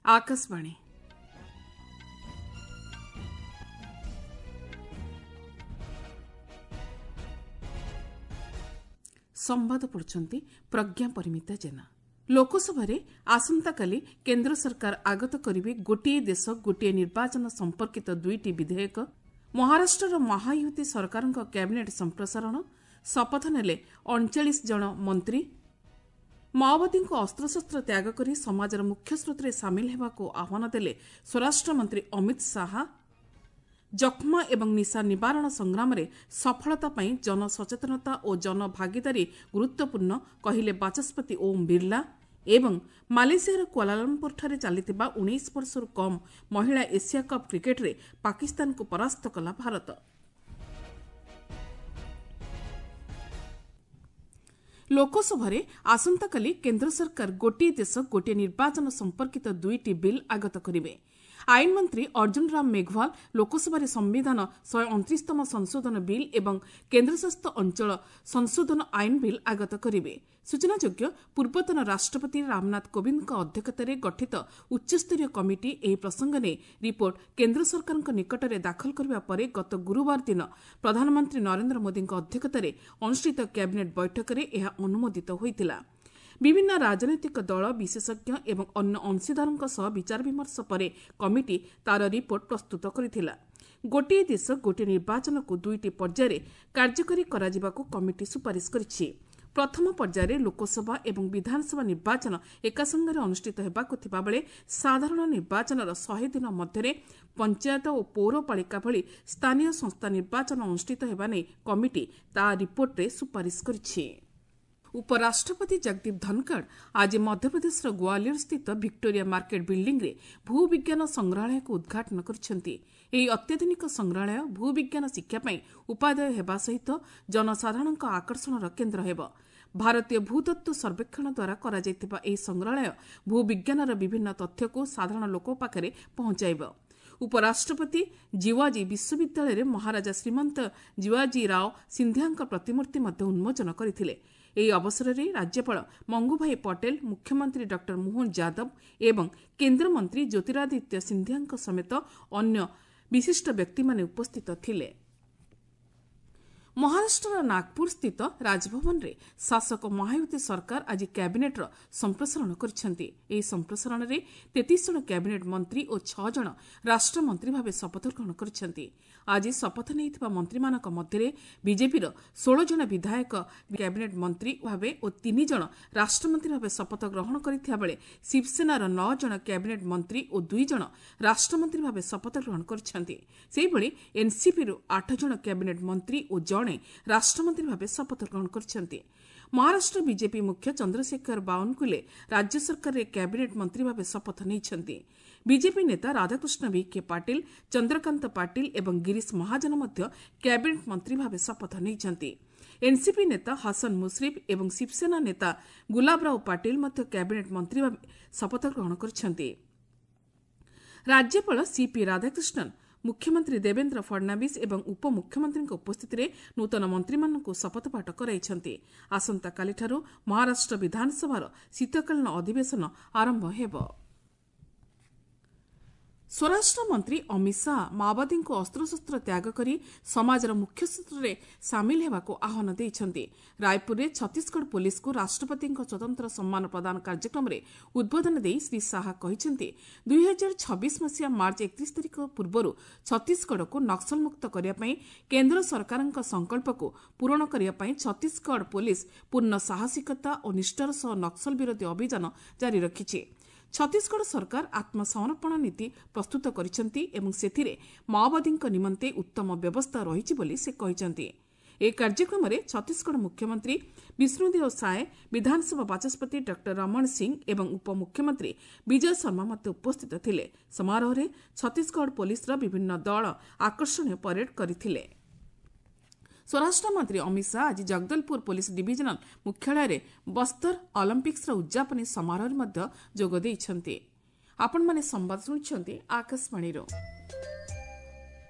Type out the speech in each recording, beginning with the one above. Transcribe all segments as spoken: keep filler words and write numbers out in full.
ଆକାଶବାଣୀ। ସମ୍ବାଦ ପଢୁଛନ୍ତି ପ୍ରଜ୍ଞା ପରିମିତା ଜେନା। ଲୋକସଭାରେ ଆସନ୍ତାକାଲି କେନ୍ଦ୍ର ସରକାର ଆଗତ କରିବେ ଗୋଟିଏ ଦେଶ ଗୋଟିଏ ନିର୍ବାଚନ ସମ୍ପର୍କିତ ଦୁଇଟି ବିଧେୟକ। ମହାରାଷ୍ଟ୍ରର ମହାୟୁତି ସରକାରଙ୍କ କ୍ୟାବିନେଟ୍ ସମ୍ପ୍ରସାରଣ, ଶପଥ ନେଲେ ଅଣଚାଳିଶ ଜଣ ମନ୍ତ୍ରୀ। ମାଓବାଦୀଙ୍କୁ ଅସ୍ତ୍ରଶସ୍ତ୍ର ତ୍ୟାଗ କରି ସମାଜର ମୁଖ୍ୟସ୍ରୋତରେ ସାମିଲ ହେବାକୁ ଆହ୍ୱାନ ଦେଲେ ସ୍ୱରାଷ୍ଟ୍ରମନ୍ତ୍ରୀ ଅମିତ ଶାହା। ଯକ୍ଷ୍ମା ଏବଂ ନିଶା ନିବାରଣ ସଂଗ୍ରାମରେ ସଫଳତା ପାଇଁ ଜନସଚେତନତା ଓ ଜନଭାଗିଦାରୀ ଗୁରୁତ୍ୱପୂର୍ଣ୍ଣ କହିଲେ ବାଚସ୍ପତି ଓମ୍ ବିର୍ଲା। ଏବଂ ମାଲେସିଆର କୁଆଲାଲମ୍ପୁରଠାରେ ଚାଲିଥିବା ଉଣେଇଶ ବର୍ଷରୁ କମ୍ ମହିଳା ଏସିଆ କପ୍ କ୍ରିକେଟରେ ପାକିସ୍ତାନକୁ ପରାସ୍ତ କଲା ଭାରତ। ଲୋକସଭାରେ ଆସନ୍ତାକାଲି କେନ୍ଦ୍ର ସରକାର ଗୋଟିଏ ଦେଶ ଗୋଟିଏ ନିର୍ବାଚନ ସମ୍ପର୍କିତ ଦୁଇଟି ବିଲ୍ ଆଗତ କରିବେ। ଆଇନ ମନ୍ତ୍ରୀ ଅର୍ଜୁନ ରାମ ମେଘୱାଲ ଲୋକସଭାରେ ସମ୍ବିଧାନ ଶହେ ଅଣତିରିଶତମ ସଂଶୋଧନ ବିଲ୍ ଏବଂ କେନ୍ଦ୍ରଶାସିତ ଅଞ୍ଚଳ ସଂଶୋଧନ ଆଇନ ବିଲ୍ ଆଗତ କରିବେ। ସୂଚନାଯୋଗ୍ୟ, ପୂର୍ବତନ ରାଷ୍ଟ୍ରପତି ରାମନାଥ କୋବିନ୍ଦଙ୍କ ଅଧ୍ୟକ୍ଷତାରେ ଗଠିତ ଉଚ୍ଚସ୍ତରୀୟ କମିଟି ଏହି ପ୍ରସଙ୍ଗ ନେଇ ରିପୋର୍ଟ କେନ୍ଦ୍ର ସରକାରଙ୍କ ନିକଟରେ ଦାଖଲ କରିବା ପରେ ଗତ ଗୁରୁବାର ଦିନ ପ୍ରଧାନମନ୍ତ୍ରୀ ନରେନ୍ଦ୍ର ମୋଦିଙ୍କ ଅଧ୍ୟକ୍ଷତାରେ ଅନୁଷ୍ଠିତ କ୍ୟାବିନେଟ୍ ବୈଠକରେ ଏହା ଅନୁମୋଦିତ ହୋଇଥିଲା। ବିଭିନ୍ନ ରାଜନୈତିକ ଦଳ, ବିଶେଷଜ୍ଞ ଏବଂ ଅନ୍ୟ ଅଂଶୀଦାରଙ୍କ ସହ ବିଚାରବିମର୍ଶ ପରେ କମିଟି ତା'ର ରିପୋର୍ଟ ପ୍ରସ୍ତୁତ କରିଥିଲା। ଗୋଟିଏ ଦେଶ ଗୋଟିଏ ନିର୍ବାଚନକୁ ଦୁଇଟି ପର୍ଯ୍ୟାୟରେ କାର୍ଯ୍ୟକାରୀ କରାଯିବାକୁ କମିଟି ସୁପାରିଶ କରିଛି। ପ୍ରଥମ ପର୍ଯ୍ୟାୟରେ ଲୋକସଭା ଏବଂ ବିଧାନସଭା ନିର୍ବାଚନ ଏକାସଙ୍ଗରେ ଅନୁଷ୍ଠିତ ହେବାକୁ ଥିବାବେଳେ ସାଧାରଣ ନିର୍ବାଚନର ଶହେ ଦିନ ମଧ୍ୟରେ ପଞ୍ଚାୟତ ଓ ପୌରପାଳିକା ଭଳି ସ୍ଥାନୀୟ ସଂସ୍ଥା ନିର୍ବାଚନ ଅନୁଷ୍ଠିତ ହେବା ନେଇ କମିଟି ତା ରିପୋର୍ଟରେ ସୁପାରିଶ କରିଛି। ଉପରାଷ୍ଟ୍ରପତି ଜଗଦୀପ ଧନଖଡ଼ ଆଜି ମଧ୍ୟପ୍ରଦେଶର ଗ୍ୱାଲିୟରସ୍ଥିତ ଭିକ୍ଟୋରିଆ ମାର୍କେଟ ବିଲ୍ଡିଂରେ ଭୂବିଜ୍ଞାନ ସଂଗ୍ରହାଳୟକୁ ଉଦ୍ଘାଟନ କରିଛନ୍ତି। ଏହି ଅତ୍ୟାଧୁନିକ ସଂଗ୍ରହାଳୟ ଭୂବିଜ୍ଞାନ ଶିକ୍ଷା ପାଇଁ ଉପାଦେୟ ହେବା ସହିତ ଜନସାଧାରଣଙ୍କ ଆକର୍ଷଣର କେନ୍ଦ୍ର ହେବ। ଭାରତୀୟ ଭୂତତ୍ତ୍ୱ ସର୍ବେକ୍ଷଣ ଦ୍ୱାରା କରାଯାଇଥିବା ଏହି ସଂଗ୍ରହାଳୟ ଭୂବିଜ୍ଞାନର ବିଭିନ୍ନ ତଥ୍ୟକୁ ସାଧାରଣ ଲୋକ ପାଖରେ ପହଞ୍ଚାଇବ। ଉପରାଷ୍ଟ୍ରପତି ଜିୱାଜୀ ବିଶ୍ୱବିଦ୍ୟାଳୟରେ ମହାରାଜା ଶ୍ରୀମନ୍ତ ଜିୱାଜୀ ରାଓ ସିନ୍ଧିଆଙ୍କ ପ୍ରତିମୂର୍ତ୍ତି ମଧ୍ୟ ଉନ୍ମୋଚନ କରିଥିଲେ। ଏହି ଅବସରରେ ରାଜ୍ୟପାଳ ମଙ୍ଗୁଭାଇ ପଟେଲ, ମୁଖ୍ୟମନ୍ତ୍ରୀ ଡକ୍ଟର ମୋହନ ଯାଦବ ଏବଂ କେନ୍ଦ୍ରମନ୍ତ୍ରୀ ଜ୍ୟୋତିରାଦିତ୍ୟ ସିନ୍ଧିଆଙ୍କ ସମେତ ଅନ୍ୟ ବିଶିଷ୍ଟ ବ୍ୟକ୍ତିମାନେ ଉପସ୍ଥିତ ଥିଲେ। ମହାରାଷ୍ଟ୍ରର ନାଗପୁରସ୍ଥିତ ରାଜଭବନରେ ଶାସକ ମହାୟୁତି ସରକାର ଆଜି କ୍ୟାବିନେଟ୍ର ସମ୍ପ୍ରସାରଣ କରିଛନ୍ତି। ଏହି ସମ୍ପ୍ରସାରଣରେ ତେତିଶ ଜଣ କ୍ୟାବିନେଟ୍ ମନ୍ତ୍ରୀ ଓ ଛଅ ଜଣ ରାଷ୍ଟ୍ରମନ୍ତ୍ରୀ ଭାବେ ଶପଥ ଗ୍ରହଣ କରିଛନ୍ତି। ଆଜି ଶପଥ ନେଇଥିବା ମନ୍ତ୍ରୀମାନଙ୍କ ମଧ୍ୟରେ ବିଜେପିର ଷୋହଳ ଜଣ ବିଧାୟକ କ୍ୟାବିନେଟ୍ ମନ୍ତ୍ରୀ ଭାବେ ଓ ତିନି ଜଣ ରାଷ୍ଟ୍ରମନ୍ତ୍ରୀ ଭାବେ ଶପଥ ଗ୍ରହଣ କରିଥିବା ବେଳେ ଶିବସେନାର ନଅ ଜଣ କ୍ୟାବିନେଟ୍ ମନ୍ତ୍ରୀ ଓ ଦୁଇ ଜଣ ରାଷ୍ଟ୍ରମନ୍ତ୍ରୀ ଭାବେ ଶପଥ ଗ୍ରହଣ କରିଛନ୍ତି। ସେହିଭଳି ଏନ୍ସିପିରୁ ଆଠ ଜଣ କ୍ୟାବିନେଟ୍ ମନ୍ତ୍ରୀ ଓ ଜଣେ ରାଷ୍ଟ୍ରମନ୍ତ୍ରୀ ଭାବେ ଶପଥ ଗ୍ରହଣ କରିଛନ୍ତି। ମହାରାଷ୍ଟ୍ର ବିଜେପି ମୁଖ୍ୟ ଚନ୍ଦ୍ରଶେଖର ବାୱନକୁଲେ ରାଜ୍ୟ ସରକାରରେ କ୍ୟାବିନେଟ୍ ମନ୍ତ୍ରୀ ଭାବେ ଶପଥ ନେଇଛନ୍ତି। ବିଜେପି ନେତା ରାଧାକୃଷ୍ଣ ଭିଖେ ପାଟିଲ, ଚନ୍ଦ୍ରକାନ୍ତ ପାଟିଲ ଏବଂ ଗିରିଶ ମହାଜନ ମଧ୍ୟ କ୍ୟାବିନେଟ୍ ମନ୍ତ୍ରୀ ଭାବେ ଶପଥ ନେଇଛନ୍ତି। ଏନ୍ସିପି ନେତା ହସନ ମୁଶ୍ରିଫ ଏବଂ ଶିବସେନା ନେତା ଗୁଲାବରାଓ ପାଟିଲ ମଧ୍ୟ କ୍ୟାବିନେଟ୍ ମନ୍ତ୍ରୀ ଭାବେ ଶପଥ ଗ୍ରହଣ କରିଛନ୍ତି। ରାଜ୍ୟପାଳ ସିପି ରାଧାକୃଷ୍ଣନ, ମୁଖ୍ୟମନ୍ତ୍ରୀ ଦେବେନ୍ଦ୍ର ଫଡନାବିସ୍ ଏବଂ ଉପମୁଖ୍ୟମନ୍ତ୍ରୀଙ୍କ ଉପସ୍ଥିତିରେ ନୂତନ ମନ୍ତ୍ରୀମାନଙ୍କୁ ଶପଥପାଠ କରାଇଛନ୍ତି। ଆସନ୍ତାକାଲିଠାରୁ ମହାରାଷ୍ଟ୍ର ବିଧାନସଭାର ଶୀତକାଳୀନ ଅଧିବେଶନ ଆରମ୍ଭ ହେବ। ସ୍ୱରାଷ୍ଟ୍ରମନ୍ତ୍ରୀ ଅମିତ ଶାହା ମାଓବାଦୀଙ୍କୁ ଅସ୍ତ୍ରଶସ୍ତ୍ର ତ୍ୟାଗ କରି ସମାଜର ମୁଖ୍ୟସ୍ରୋତରେ ସାମିଲ ହେବାକୁ ଆହ୍ୱାନ ଦେଇଛନ୍ତି। ରାୟପୁରରେ ଛତିଶଗଡ଼ ପୋଲିସକୁ ରାଷ୍ଟ୍ରପତିଙ୍କ ସ୍ୱତନ୍ତ୍ର ସମ୍ମାନ ପ୍ରଦାନ କାର୍ଯ୍ୟକ୍ରମରେ ଉଦ୍ବୋଧନ ଦେଇ ଶ୍ରୀ ଶାହା କହିଛନ୍ତି, ଦୁଇହଜାର ଛବିଶ ମସିହା ମାର୍ଚ୍ଚ ଏକତିରିଶ ତାରିଖ ପୂର୍ବରୁ ଛତିଶଗଡ଼କୁ ନକ୍ସଲମୁକ୍ତ କରିବା ପାଇଁ କେନ୍ଦ୍ର ସରକାରଙ୍କ ସଂକଳ୍ପକୁ ପୂରଣ କରିବା ପାଇଁ ଛତିଶଗଡ଼ ପୋଲିସ ପୂର୍ଣ୍ଣ ସାହସିକତା ଓ ନିଷ୍ଠାର ସହ ନକ୍ସଲ ବିରୋଧୀ ଅଭିଯାନ ଜାରି ରଖିଛି। ଛତିଶଗଡ଼ ସରକାର ଆତ୍ମସମର୍ପଣ ନୀତି ପ୍ରସ୍ତୁତ କରିଛନ୍ତି ଏବଂ ସେଥିରେ ମାଓବାଦୀଙ୍କ ନିମନ୍ତେ ଉତ୍ତମ ବ୍ୟବସ୍ଥା ରହିଛି ବୋଲି ସେ କହିଛନ୍ତି। ଏହି କାର୍ଯ୍ୟକ୍ରମରେ ଛତିଶଗଡ଼ ମୁଖ୍ୟମନ୍ତ୍ରୀ ବିଷ୍ଣୁଦେଓ ସାଏ, ବିଧାନସଭା ବାଚସ୍ପତି ଡକ୍ଟର ରମଣ ସିଂ ଏବଂ ଉପମୁଖ୍ୟମନ୍ତ୍ରୀ ବିଜୟ ଶର୍ମା ମଧ୍ୟ ଉପସ୍ଥିତ ଥିଲେ। ସମାରୋହରେ ଛତିଶଗଡ଼ ପୋଲିସର ବିଭିନ୍ନ ଦଳ ଆକର୍ଷଣୀୟ ପରେଡ୍ କରିଥିଲେ। ସ୍ୱରାଷ୍ଟ୍ରମନ୍ତ୍ରୀ ଅମିତ ଶାହା ଆଜି ଜଗଦଲପୁର ପୋଲିସ ଡିଭିଜନାଲ ମୁଖ୍ୟାଳୟରେ ବସ୍ତର ଅଲିମ୍ପିକ୍ସର ଉଦ୍ଯାପନୀ ସମାରୋହରେ ମଧ୍ୟ ଯୋଗ ଦେଇଛନ୍ତି। ଆପଣମାନେ ସମ୍ବାଦ ଶୁଣୁଛନ୍ତି ଆକାଶବାଣୀରୁ।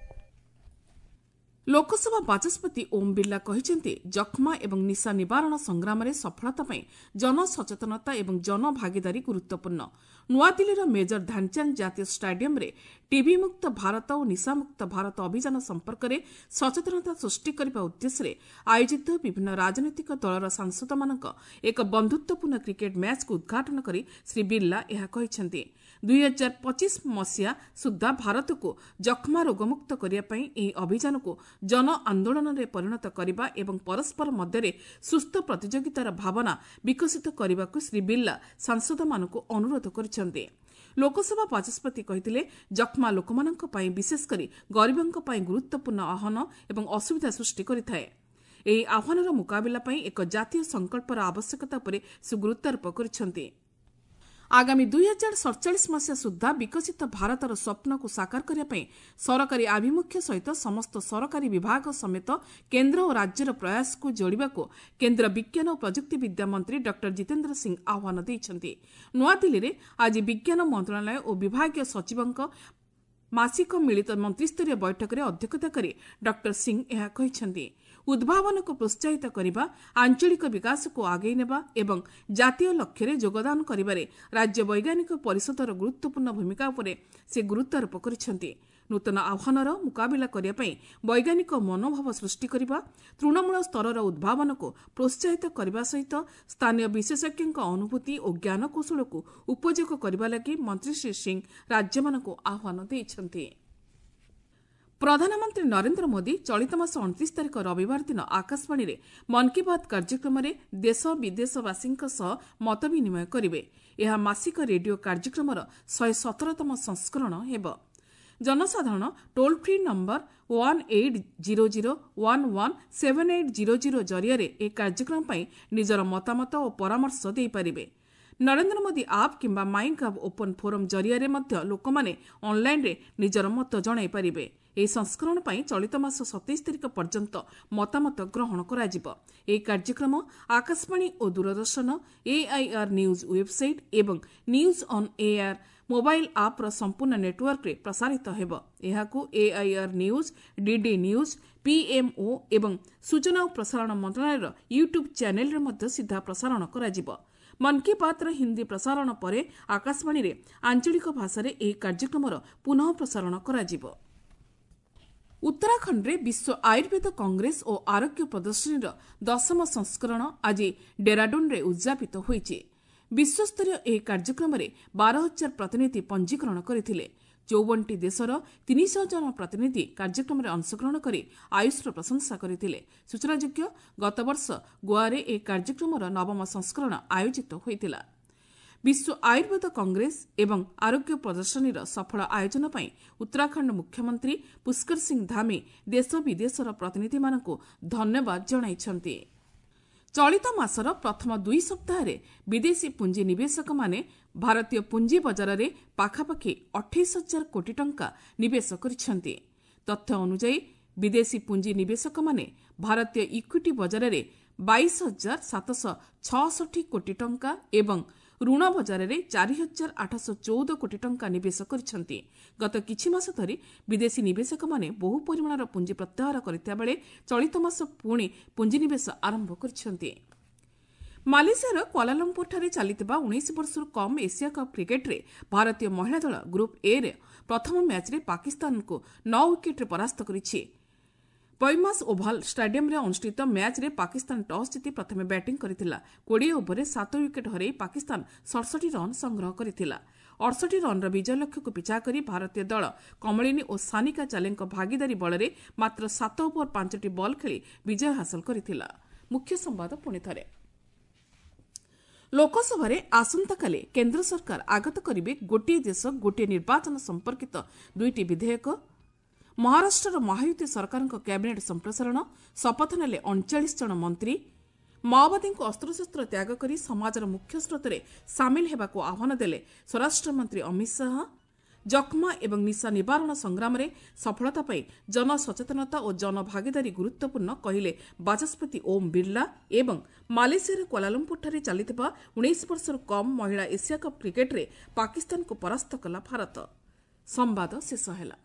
ଲୋକସଭା ବାଚସ୍ପତି ଓମ୍ ବିର୍ଲା କହିଛନ୍ତି, ଯକ୍ଷ୍ମା ଏବଂ ନିଶା ନିବାରଣ ସଂଗ୍ରାମରେ ସଫଳତା ପାଇଁ ଜନସଚେତନତା ଏବଂ ଜନଭାଗିଦାରୀ ଗୁରୁତ୍ୱପୂର୍ଣ୍ଣ। ନୂଆଦିଲ୍ଲୀର ମେଜର ଧ୍ୟାନଚାନ୍ଦ ଜାତୀୟ ଷ୍ଟାଡିୟମ୍ରେ ଟିବି ମୁକ୍ତ ଭାରତ ଓ ନିଶାମୁକ୍ତ ଭାରତ ଅଭିଯାନ ସମ୍ପର୍କରେ ସଚେତନତା ସୃଷ୍ଟି କରିବା ଉଦ୍ଦେଶ୍ୟରେ ଆୟୋଜିତ ବିଭିନ୍ନ ରାଜନୈତିକ ଦଳର ସାଂସଦମାନଙ୍କ ଏକ ବନ୍ଧୁତ୍ୱପୂର୍ଣ୍ଣ କ୍ରିକେଟ୍ ମ୍ୟାଚ୍କୁ ଉଦ୍ଘାଟନ କରି ଶ୍ରୀ ବିର୍ଲା ଏହା କହିଛନ୍ତି। ଦୁଇ ହଜାର ପଚିଶ ମସିହା ସୁଦ୍ଧା ଭାରତକୁ ଯକ୍ଷ୍ମା ରୋଗମୁକ୍ତ କରିବା ପାଇଁ ଏହି ଅଭିଯାନକୁ ଜନ ଆନ୍ଦୋଳନରେ ପରିଣତ କରିବା ଏବଂ ପରସ୍ପର ମଧ୍ୟରେ ସୁସ୍ଥ ପ୍ରତିଯୋଗିତାର ଭାବନା ବିକଶିତ କରିବାକୁ ଶ୍ରୀ ବିର୍ଲା ସାଂସଦମାନଙ୍କୁ ଅନୁରୋଧ କରିଛନ୍ତି। ଲୋକସଭା ବାଚସ୍ପତି କହିଥିଲେ, ଯକ୍ଷ୍ମା ଲୋକମାନଙ୍କ ପାଇଁ, ବିଶେଷ କରି ଗରିବଙ୍କ ପାଇଁ ଗୁରୁତ୍ୱପୂର୍ଣ୍ଣ ଆହ୍ୱାନ ଏବଂ ଅସୁବିଧା ସୃଷ୍ଟି କରିଥାଏ। ଏହି ଆହ୍ୱାନର ମୁକାବିଲା ପାଇଁ ଏକ ଜାତୀୟ ସଂକଳ୍ପର ଆବଶ୍ୟକତା ଉପରେ ସେ ଗୁରୁତ୍ୱାରୋପ କରିଛନ୍ତି। ଆଗାମୀ ଦୁଇ ହଜାର ସଡ଼ଚାଳିଶ ମସିହା ସୁଦ୍ଧା ବିକଶିତ ଭାରତର ସ୍ୱପ୍ନକୁ ସାକାର କରିବା ପାଇଁ ସରକାରୀ ଆଭିମୁଖ୍ୟ ସହିତ ସମସ୍ତ ସରକାରୀ ବିଭାଗ ସମେତ କେନ୍ଦ୍ର ଓ ରାଜ୍ୟର ପ୍ରୟାସକୁ ଯୋଡ଼ିବାକୁ କେନ୍ଦ୍ର ବିଜ୍ଞାନ ଓ ପ୍ରଯୁକ୍ତିବିଦ୍ୟା ମନ୍ତ୍ରୀ ଡକ୍ଟର ଜିତେନ୍ଦ୍ର ସିଂ ଆହ୍ୱାନ ଦେଇଛନ୍ତି। ନୂଆଦିଲ୍ଲୀରେ ଆଜି ବିଜ୍ଞାନ ମନ୍ତ୍ରଣାଳୟ ଓ ବିଭାଗୀୟ ସଚିବଙ୍କ ମାସିକ ମିଳିତ ମନ୍ତ୍ରିସ୍ତରୀୟ ବୈଠକରେ ଅଧ୍ୟକ୍ଷତା କରି ଡକ୍ଟର ସିଂ ଏହା କହିଛନ୍ତି। ଉଦ୍ଭାବନକୁ ପ୍ରୋତ୍ସାହିତ କରିବା, ଆଞ୍ଚଳିକ ବିକାଶକୁ ଆଗେଇ ନେବା ଏବଂ ଜାତୀୟ ଲକ୍ଷ୍ୟରେ ଯୋଗଦାନ କରିବାରେ ରାଜ୍ୟ ବୈଜ୍ଞାନିକ ପରିଷଦର ଗୁରୁତ୍ୱପୂର୍ଣ୍ଣ ଭୂମିକା ଉପରେ ସେ ଗୁରୁତ୍ୱାରୋପ କରିଛନ୍ତି। ନୂତନ ଆହ୍ୱାନର ମୁକାବିଲା କରିବା ପାଇଁ ବୈଜ୍ଞାନିକ ମନୋଭାବ ସୃଷ୍ଟି କରିବା, ତୃଣମୂଳ ସ୍ତରର ଉଦ୍ଭାବନକୁ ପ୍ରୋତ୍ସାହିତ କରିବା ସହିତ ସ୍ଥାନୀୟ ବିଶେଷଜ୍ଞଙ୍କ ଅନୁଭୂତି ଓ ଜ୍ଞାନକୌଶଳକୁ ଉପଯୋଗ କରିବା ଲାଗି ମନ୍ତ୍ରୀ ଶ୍ରୀ ସିଂ ରାଜ୍ୟମାନଙ୍କୁ ଆହ୍ୱାନ ଦେଇଛନ୍ତି। ପ୍ରଧାନମନ୍ତ୍ରୀ ନରେନ୍ଦ୍ର ମୋଦି ଚଳିତ ମାସ ଅଣତିରିଶ ତାରିଖ ରବିବାର ଦିନ ଆକାଶବାଣୀରେ ମନ୍ କି ବାତ୍ କାର୍ଯ୍ୟକ୍ରମରେ ଦେଶ ବିଦେଶବାସୀଙ୍କ ସହ ମତ ବିନିମୟ କରିବେ। ଏହା ମାସିକ ରେଡିଓ କାର୍ଯ୍ୟକ୍ରମର ଶହେ ସତରତମ ସଂସ୍କରଣ ହେବ। ଜନସାଧାରଣ toll free number one eight zero zero one one seven eight zero zero ଜରିଆରେ ଏହି କାର୍ଯ୍ୟକ୍ରମ ପାଇଁ ନିଜର ମତାମତ ଓ ପରାମର୍ଶ ଦେଇପାରିବେ। ନରେନ୍ଦ୍ର ମୋଦି ଆପ୍ କିମ୍ବା ମାଇ ଗଭ୍ ଓପନ୍ ଫୋରମ୍ ଜରିଆରେ ମଧ୍ୟ ଲୋକମାନେ ଅନ୍ଲାଇନ୍ରେ ନିଜର ମତ ଜଣାଇପାରିବେ। ଏହି ସଂସ୍କରଣ ପାଇଁ ଚଳିତ ମାସ ସତେଇଶ ତାରିଖ ପର୍ଯ୍ୟନ୍ତ ମତାମତ ଗ୍ରହଣ କରାଯିବ। ଏହି କାର୍ଯ୍ୟକ୍ରମ ଆକାଶବାଣୀ ଓ ଦୂରଦର୍ଶନ, ଏଆଇଆର୍ ନ୍ୟୁଜ୍ ୱେବ୍ସାଇଟ୍ ଏବଂ ନ୍ୟୁଜ୍ ଅନ୍ ଏଆର୍ ମୋବାଇଲ୍ ଆପ୍ର ସମ୍ପୂର୍ଣ୍ଣ ନେଟୱାର୍କରେ ପ୍ରସାରିତ ହେବ। ଏହାକୁ AIR news, DD news, PMO ଏବଂ ସୂଚନା ଓ ପ୍ରସାରଣ ମନ୍ତ୍ରଣାଳୟର ୟୁଟ୍ୟୁବ୍ ଚ୍ୟାନେଲ୍ରେ ମଧ୍ୟ ସିଧା ପ୍ରସାରଣ କରାଯିବ। ମନ୍ କି ବାତ୍ର ହିନ୍ଦୀ ପ୍ରସାରଣ ପରେ ଆକାଶବାଣୀରେ ଆଞ୍ଚଳିକ ଭାଷାରେ ଏହି କାର୍ଯ୍ୟକ୍ରମର ପୁନଃ ପ୍ରସାରଣ କରାଯିବ। ଉତ୍ତରାଖଣ୍ଡରେ ବିଶ୍ୱ ଆୟୁର୍ବେଦ କଂଗ୍ରେସ ଓ ଆରୋଗ୍ୟ ପ୍ରଦର୍ଶନୀର ଦଶମ ସଂସ୍କରଣ ଆଜି ଡେରାଡୁନ୍ରେ ଉଦ୍ଯାପିତ ହୋଇଛି। ବିଶ୍ୱସ୍ତରୀୟ ଏହି କାର୍ଯ୍ୟକ୍ରମରେ ବାର ହଜାର ପ୍ରତିନିଧି ପଞ୍ଜୀକରଣ କରିଥିଲେ। ଚଉବନଟି ଦେଶର ତିନିଶହ ଜଣ ପ୍ରତିନିଧି କାର୍ଯ୍ୟକ୍ରମରେ ଅଂଶଗ୍ରହଣ କରି ଆୟୁଷର ପ୍ରଶଂସା କରିଥିଲେ। ସୂଚନାଯୋଗ୍ୟ, ଗତବର୍ଷ ଗୋଆରେ ଏହି କାର୍ଯ୍ୟକ୍ରମର ନବମ ସଂସ୍କରଣ ଆୟୋଜିତ ହୋଇଥିଲା। ବିଶ୍ୱ ଆୟୁର୍ବେଦ କଂଗ୍ରେସ ଏବଂ ଆରୋଗ୍ୟ ପ୍ରଦର୍ଶନୀର ସଫଳ ଆୟୋଜନ ପାଇଁ ଉତ୍ତରାଖଣ୍ଡ ମୁଖ୍ୟମନ୍ତ୍ରୀ ପୁଷ୍କର ସିଂ ଧାମି ଦେଶ ବିଦେଶର ପ୍ରତିନିଧିମାନଙ୍କୁ ଧନ୍ୟବାଦ ଜଣାଇଛନ୍ତି। ଚଳିତ ମାସର ପ୍ରଥମ ଦୁଇ ସପ୍ତାହରେ ବିଦେଶୀ ପୁଞ୍ଜି ନିବେଶକମାନେ ଭାରତୀୟ ପୁଞ୍ଜି ବଜାରରେ ପାଖାପାଖି ଅଠେଇଶ ହଜାର କୋଟି ଟଙ୍କା ନିବେଶ କରିଛନ୍ତି। ତଥ୍ୟ ଅନୁଯାୟୀ ବିଦେଶୀ ପୁଞ୍ଜି ନିବେଶକମାନେ ଭାରତୀୟ ଇକ୍ୱିଟି ବଜାରରେ ବାଇଶ ହଜାର ସାତଶହ ଛଅଷଠି କୋଟି ଟଙ୍କା ଏବଂ ଋଣ ବଜାରରେ ଚାରି ହଜାର ଆଠଶହ ଚଉଦ କୋଟି ଟଙ୍କା ନିବେଶ କରିଛନ୍ତି। ଗତ କିଛି ମାସ ଧରି ବିଦେଶୀ ନିବେଶକମାନେ ବହୁ ପରିମାଣର ପୁଞ୍ଜି ପ୍ରତ୍ୟାହାର କରିଥିବା ବେଳେ ଚଳିତ ମାସ ପୁଣି ପୁଞ୍ଜିନିବେଶ ଆରମ୍ଭ କରିଛନ୍ତି। ମାଲେସିଆର କ୍ୱାଲାଲମ୍ପୁରଠାରେ ଚାଲିଥିବା ଉଣେଇଶ ବର୍ଷରୁ କମ୍ ଏସିଆ କପ୍ କ୍ରିକେଟ୍ରେ ଭାରତୀୟ ମହିଳା ଦଳ ଗ୍ରୁପ୍ ଏରେ ପ୍ରଥମ ମ୍ୟାଚ୍ରେ ପାକିସ୍ତାନକୁ ନଅ ୱିକେଟ୍ରେ ପରାସ୍ତ କରିଛି। ପୈମାସ ଓଭାଲ ଷ୍ଟାଡିୟମ୍ରେ ଅନୁଷ୍ଠିତ ମ୍ୟାଚ୍ରେ ପାକିସ୍ତାନ ଟସ୍ ଜିତି ପ୍ରଥମେ ବ୍ୟାଟିଂ କରିଥିଲା। କୋଡ଼ିଏ ଓଭରରେ ସାତ ୱିକେଟ୍ ହରାଇ ପାକିସ୍ତାନ ସଡ଼ଷଠି ରନ୍ ସଂଗ୍ରହ କରିଥିଲା। ଅଠଷଠି ରନ୍ର ବିଜୟ ଲକ୍ଷ୍ୟକୁ ପିଛା କରି ଭାରତୀୟ ଦଳ କମଳିନୀ ଓ ସାନିକା ଚାଲେଙ୍କ ଭାଗିଦାରୀ ବଳରେ ମାତ୍ର ସାତ ଓଭର ପାଞ୍ଚଟି ବଲ୍ ଖେଳି ବିଜୟ ହାସଲ କରିଥିଲା। ମୁଖ୍ୟ ସମ୍ବାଦ ପୁଣି ଥରେ। ଲୋକସଭାରେ ଆସନ୍ତାକାଲି କେନ୍ଦ୍ର ସରକାର ଆଗତ କରିବେ ଗୋଟିଏ ଦେଶ ଗୋଟିଏ ନିର୍ବାଚନ ସମ୍ପର୍କିତ ଦୁଇଟି ବିଧେୟକ। ମହାରାଷ୍ଟ୍ରର ମହାୟୁତି ସରକାରଙ୍କ କ୍ୟାବିନେଟ୍ ସମ୍ପ୍ରସାରଣ, ଶପଥ ନେଲେ ଅଣଚାଳିଶ ଜଣ ମନ୍ତ୍ରୀ। ମାଓବାଦୀଙ୍କୁ ଅସ୍ତ୍ରଶସ୍ତ୍ର ତ୍ୟାଗ କରି ସମାଜର ମୁଖ୍ୟ ସ୍ରୋତରେ ସାମିଲ ହେବାକୁ ଆହ୍ୱାନ ଦେଲେ ସ୍ୱରାଷ୍ଟ୍ରମନ୍ତ୍ରୀ ଅମିତ ଶାହା। ଯକ୍ଷ୍ମା ଏବଂ ନିଶା ନିବାରଣ ସଂଗ୍ରାମରେ ସଫଳତା ପାଇଁ ଜନସଚେତନତା ଓ ଜନଭାଗିଦାରୀ ଗୁରୁତ୍ୱପୂର୍ଣ୍ଣ କହିଲେ ବାଚସ୍ପତି ଓମ୍ ବିର୍ଲା। ଏବଂ ମାଲେସିଆର କ୍ୱାଲାଲମ୍ପୁରଠାରେ ଚାଲିଥିବା ଉଣେଇଶ ବର୍ଷରୁ କମ୍ ମହିଳା ଏସିଆ କପ୍ କ୍ରିକେଟ୍ରେ ପାକିସ୍ତାନକୁ ପରାସ୍ତ କଲା ଭାରତ। ସମ୍ବାଦ ଶେଷ ହେଲା।